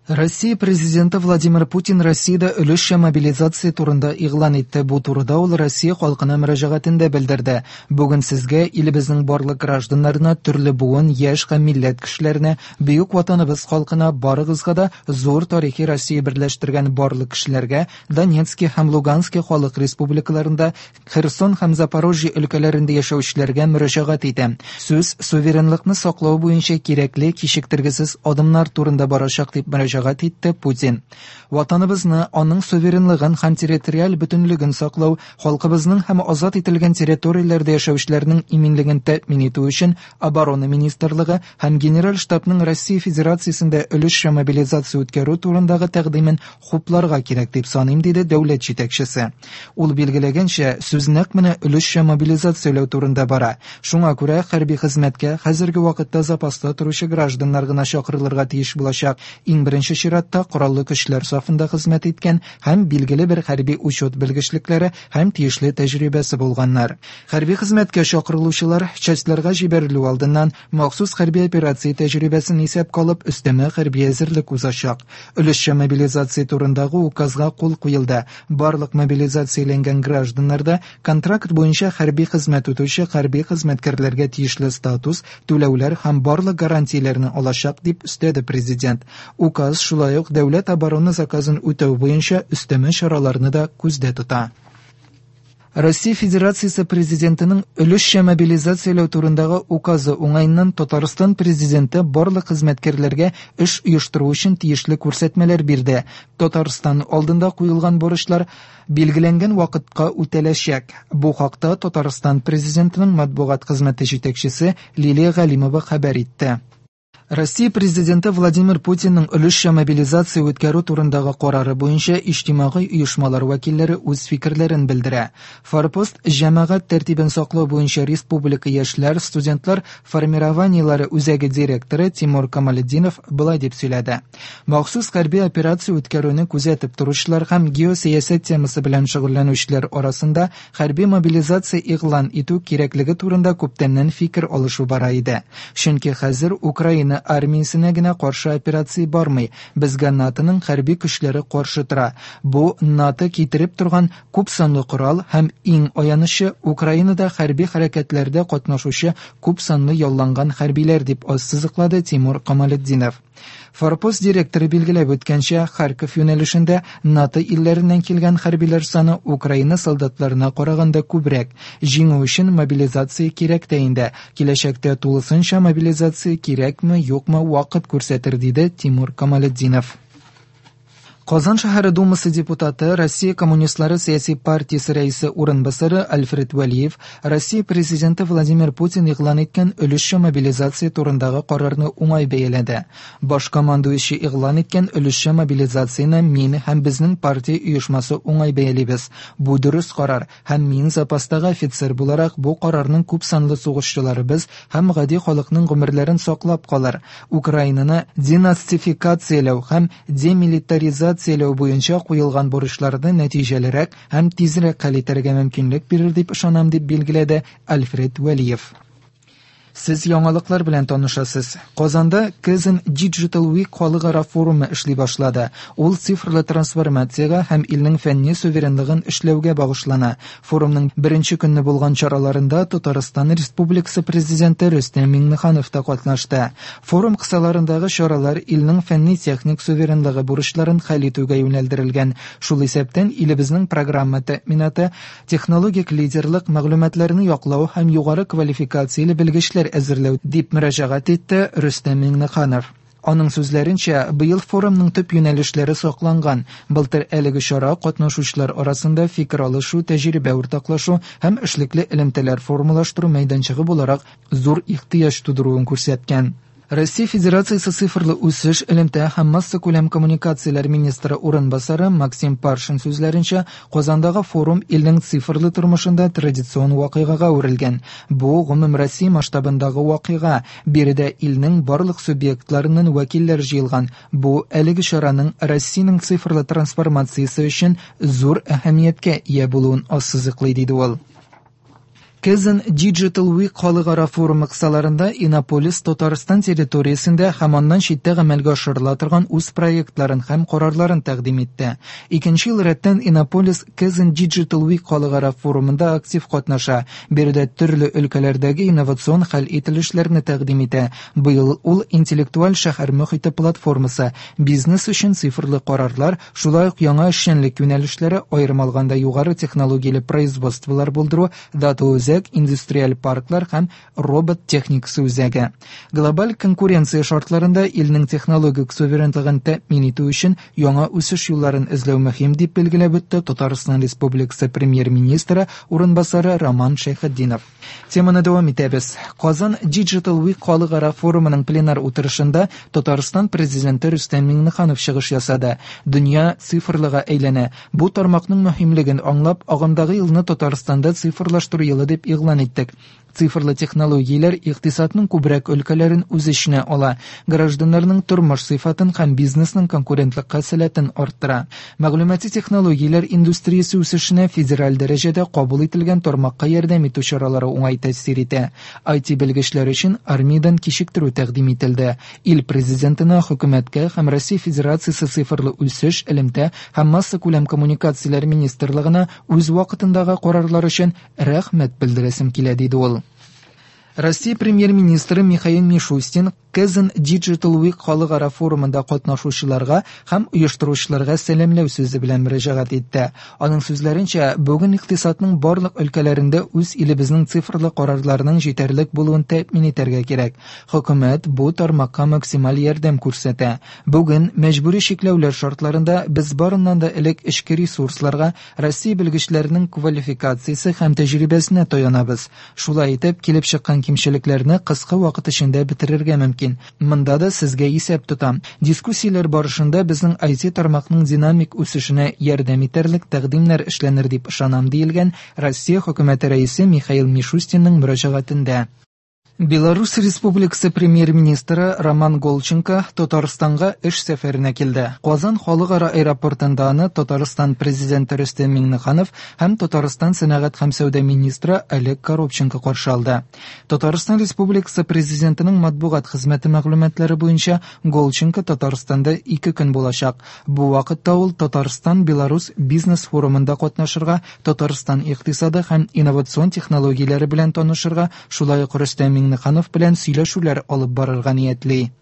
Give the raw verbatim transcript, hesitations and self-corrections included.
Россия президенты Владимир Путин Россиядә өлешчә мобилизация турында игълан итте. Бу турыда ул Россия халкына мөрәҗәгатендә белдерде. Бүген сезгә, илебезнең барлык гражданнарына, төрле буын, яшь һәм милләт кешеләренә, бөек ватаныбыз халкына, барыгызга да зур тарихи Россия берләштергән барлык кешеләргә, Донецки һәм Лугански халык республикаларында, Херсон һәм Запорожье өлкәләрендә яшәүчеләргә мөрәҗәгать итәм. Сүз суверенлыкны саклау буенча кирәкле кичектергесез адымнар турында барачак, дип мөрәҗәгать итте Путин. Ватаныбызны, аның суверенлыгын һәм территориаль бөтенлеген саклау, халкыбызның һәм азат ителгән территорияләрдә яшәүчеләрнең иминлеген тәэмин итү өчен Оборона министрлыгы һәм Генераль штабның Россия Федерациясендә өлешчә мобилизация үткәрү турындагы тәкъдимен хупларга кирәк дип саныйм, диде дәүләт җитәкчесе. Ул билгеләгәнчә, сүз нәкъ менә өлешчә мобилизацияләү турында бара. Шуңа күрә хәрби хезмәткә хәзерге вакытта запаста торучы гражданнар гына чакырылырга тиеш булачак. Иң беренче чиратта кораллы көчләр сафында хезмәт иткән һәм билгеле бер хәрби учет белгечлекләре һәм тиешле тәҗрибәсе булганнар. Хәрби хезмәткә чакырылучылар частьларга җибәрелү алдыннан махсус хәрби операция тәҗрибәсен исәпкә алып өстәмә хәрби әзерлек узачак. Өлешчә мобилизация турындагы указга кул куелды. Барлык мобилизацияләнгән гражданнарда контракт буенча хәрби хезмәт үтүче хәрби хезмәткәрләргә тиешле статус, түләүләр һәм барлык гарантияләрне алачак, дип өстәде президент. Указ шулай ук дәүләт оборона заказын үтәү буенча өстәмә чараларны да күздә тота. Россия Федерациясе президентының өлешчә мобилизацияләү турындагы указы уңаеннан Татарстан президенты барлык хезмәткәрләргә эш оештыру өчен тиешле күрсәтмәләр бирде. Татарстан алдында куелган бурычлар билгеләнгән вакытка үтәләчәк. Бу хакта Татарстан президентының матбугат хезмәте җитәкчесе Лилия Галимова хәбәр итте. Россия президенты Владимир Путинның өлешчә мобилизация үткәрү турындагы карары буенча иҗтимагый оешмалар вәкилләре үз фикерләрен белдерә. Форпост җәмәгать тәртибен саклау буенча республика яшьләр, студентлар формированиеләре үзәге директоры Тимур Камалетдинов былай дип сөйләде. Махсус хәрби операция үткәрүне күзәтеп торучылар һәм геосәясәт темасы белән шөгыльләнүчеләр арасында хәрби мобилизация игълан итү кирәклеге турында күптәннән фикер алышу бара иде. Чөнки хәзер Украина армиясенә генә каршы операция бармый. Безгә НАТОның хәрби көчләре каршы тора. Бу НАТО китереп торган күп санлы корал һәм иң аянычы Украинада хәрби хәрәкәтләрдә катнашучы күп санлы ялланган хәрбиләр, дип ассызыклады Тимур Камалетдинов. Форпост директоры билгеләп үткәнчә, Харьков юнәлешендә НАТО илләреннән килгән хәрбиләр саны Украина солдатларына караганда күбрәк. Җиңү өчен мобилизация кирәк тә инде. Киләчәктә тулысынча мобилизация кирәкме, юкмы вакыт күрсәтер, диде Тимур Камалетдинов. Казан шәһәре Думасы депутаты, Россия коммунистлары сәяси партиясе рәисе урынбасары Альфред Вәлиев Россия президенты Владимир Путин игълан иткән өлешчә мобилизация турындагы карарны уңай бәяләде. Баш командующий игълан иткән өлешчә мобилизацияне мин һәм безнең партия оешмасы уңай бәялибез. Бу дөрес карар һәм мин запастагы офицер буларак бу карарның күп санлы сугышчыларыбыз һәм гади халыкның гомерләрен саклап калыр. Украинаны денацификацияләү һәм демилитаризацияләү буенча куелган бурычларны нәтиҗәлерәк һәм тизрәк хәл итәргә мөмкинлек бирер дип ышанам, дип билгеләде Альфред Вәлиев. Сез яңалыклар белән танышасыз. Казанда Kazan Digital Week халыкара форумы эшли башлады. Ул цифрлы трансформациягә һәм илнең фәнни суверенлыгын эшләүгә багышлана. Форумның беренче көнне булган чараларында Татарстан Республикасы президенты Рөстәм Миңнеханов та катнашты. Форум кысаларындагы чаралар илнең фәнни-техник суверенлыгы бурычларын хәл итүгә юнәлдерелгән. Шул исәптән илебезнең программа тәэминаты, технологик лидерлык, мәгълүматларны яклау һәм югары квалификацияле белгечләр әзерләү, дип мөрәҗәгать итте Рөстәм Миңнеханов. Аның сүзләренчә, быел форумның төп юнәлешләре сакланган. Былтыр әлеге чара катнашучылар арасында фикер алышу, тәҗрибә уртаклашу һәм эшлекле элемтәләр формалаштыру мәйданчыгы буларак зур ихтыяҗ тудыруын күрсәткән. Россия Федерациясе цифрлы үсеш, элемтә һәм массакүләм коммуникацияләр министры урынбасары Максим Паршин сүзләренчә, Казандагы форум илнең цифрлы тормышында традицион вакыйгага әверелгән. Бу гомум Россия масштабындагы вакыйга. Биредә илнең барлык субъектларыннан вәкилләр җыелган. Бу әлеге чараның Россиянең цифрлы трансформациясе өчен зур әһәмияткә ия булуын ассызыклый, диде ул. Kazan Digital Week халыкара форумы кысаларында Иннополис Татарстан территориясендә һәм аннан читтә гамәлгә ашырыла торган үз проектларын һәм карарларын тәкъдим итте. Икенче ел рәттән Иннополис Kazan Digital Week халыкара форумында актив катнаша. Биредә төрле өлкәләрдәге инновацион хәл ителешләрне тәкъдим итә. Быел ул интеллектуаль шәһәр мохите платформасы, бизнес өчен цифрлы карарлар, шулай ук яңа эшчәнлек юнәлешләре, аерым алганда югары технологияле производстволар булдыру, дата үзәк, индустриаль парклар һәм робот техникасы үзәге. Глобаль конкуренция шартларында илнең технологик суверенлыгын тәэмин итү өчен яңа үсеш юлларын эзләү мөһим, дип билгеләп үтте Татарстан Республикасы премьер-министры урынбасары Роман Шәйхетдинов. Теманы дәвам итәбез. Казан Digital Week халыкара форумының пленар утырышында Татарстан президенты Рөстәм Миңнеханов чыгыш ясады. Дөнья цифрлыга әйләнә. Бу тармакның мөһимлеген аңлап, агымдагы елны Татарстанда цифрлаштыру елы дип игълан иттек. Цифрлы технологияләр икътисадның күбрәк өлкәләрен үз эченә ала, гражданнарның тормыш сыйфатын һәм бизнесның конкурентлыкка сәләтен арттыра. Мәгълүмати технологияләр индустриясе үсешенә федераль дәрәҗәдә кабул ителгән тармакка ярдәм итү чаралары уңай тәэсир итә. ай ти белгечләр өчен армиядән кичектерү тәкъдим ителде. Ил президентына, хөкүмәткә һәм Россия Федерациясе цифрлы үсеш, элемтә һәм массакүләм коммуникацияләр министрлыгына үз вакытындагы карарлар өчен рәхмәт белдерәсем килә, диде ул. Россия премьер-министры Михаил Мишустин Kazan Digital Week халыкара форумында катнашучыларга һәм оештыручыларга сәламләү сүзе белән мөрәҗәгать итте. Аның сүзләренчә, бүген икътисадның барлык өлкәләрендә үз илебезнең цифрлы карарларының җитәрлек булуын тәэмин итәргә кирәк. Хөкүмәт бу тармакка максималь ярдәм күрсәтә. Бүген мәҗбүри чикләүләр шартларында без барыннан да элек эчке ресурсларга, Россия белгечләренең квалификациясе һәм тәҗрибәсенә таянабыз. Шулай итеп, килеп чыккан кимчелекләрне кыска вакыт эчендә бетерергә мөмкин. Монда да сезгә исәп тотам. Дискуссияләр барышында безнең ай ти тармакның динамик үсешенә ярдәм итәрлек тәкъдимнәр эшләнер дип ышанам, диелгән Россия хөкүмәте рәисе Михаил Мишустинның мөрәҗәгатендә. Беларусь Республикасы премьер-министры Роман Голченко Татарстанга эш сәфәренә килде. Казан халыкара аэропортында аны Татарстан президенты Рөстәм Миңнеханов һәм Татарстан сәнәгать һәм сәүдә министры Олег Коробченко каршы алды. Татарстан Республикасы президентының матбугат хезмәте мәгълүматлары буенча Голченко Татарстанда ике көн булачак. Бу вакытта ул Татарстан-Беларусь бизнес форумында катнашырга, Татарстан икътисады һәм инновацион технологияләре белән танышырга, шулай ук Рөстәм Миңнеханов белән сөйләшүләр алып барырга ниятли.